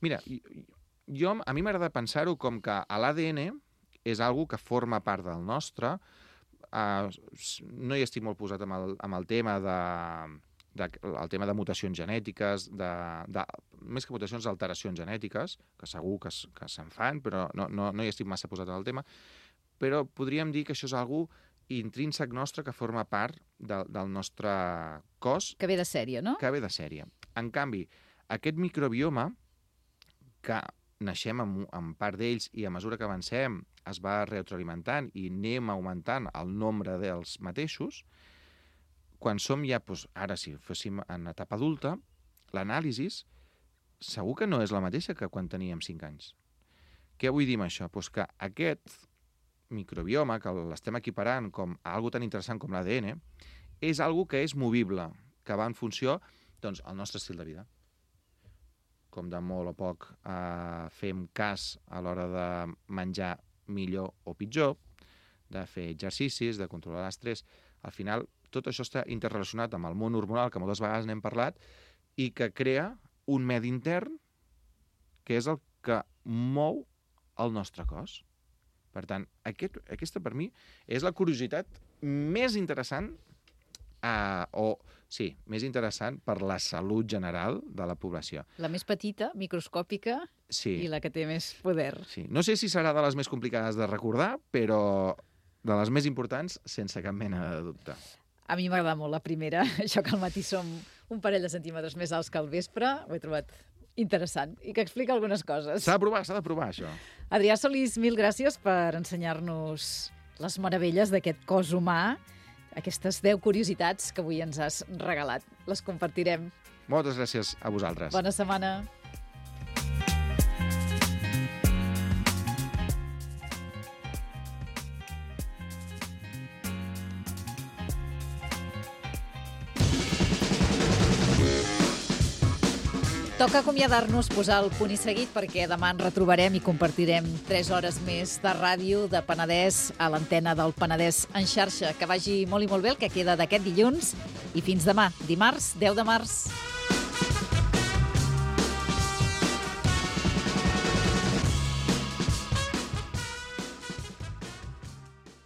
Mira, a mi m'agrada pensar-ho com que l'ADN és algo que forma part del nostre. No hi estic molt posat amb el tema de mutacions genètiques, més que mutacions, alteracions genètiques, que segur que se'n fan, però no hi estic massa posat en el tema, però podríem dir que això és algo intrínsec nostre que forma part del nostre cos. Que ve de sèrie, no? Que ve de sèrie. En canvi, aquest microbioma, que naixem amb part d'ells i a mesura que avancem es va retroalimentant i anem augmentant el nombre dels mateixos, quan som ja, ara si fóssim en etapa adulta, l'anàlisi segur que no és la mateixa que quan teníem 5 anys. Què vull dir amb això? Que aquest microbioma, que l'estem equiparant com a algo tan interessant com l'ADN, és algo que és movible, que va en funció del nostre estil de vida. Com de molt o poc fem cas a l'hora de menjar millor o pitjor, de fer exercicis, de controlar l'estrès. Al final, tot això està interrelacionat amb el món hormonal, que moltes vegades n'hem parlat, i que crea un medi intern que és el que mou el nostre cos. Per tant, aquesta per mi és la curiositat més interessant més interessant per la salut general de la població. La més petita, microscòpica, i la que té més poder. Sí. No sé si serà de les més complicades de recordar, però de les més importants, sense cap mena de dubte. A mi m'agrada molt la primera, això que al matí som un parell de centímetres més alts que al vespre, ho he trobat interessant i que explica algunes coses. S'ha de provar, això. Adrià Solís, mil gràcies per ensenyar-nos les meravelles d'aquest cos humà, aquestes 10 curiositats que avui ens has regalat. Les compartirem. Moltes gràcies a vosaltres. Bona setmana. Toca acomiadar-nos, posar el punt i seguit, perquè demà ens retrobarem i compartirem 3 hores més de ràdio de Penedès a l'antena del Penedès en xarxa. Que vagi molt i molt bé el que queda d'aquest dilluns i fins demà, dimarts, 10 de març.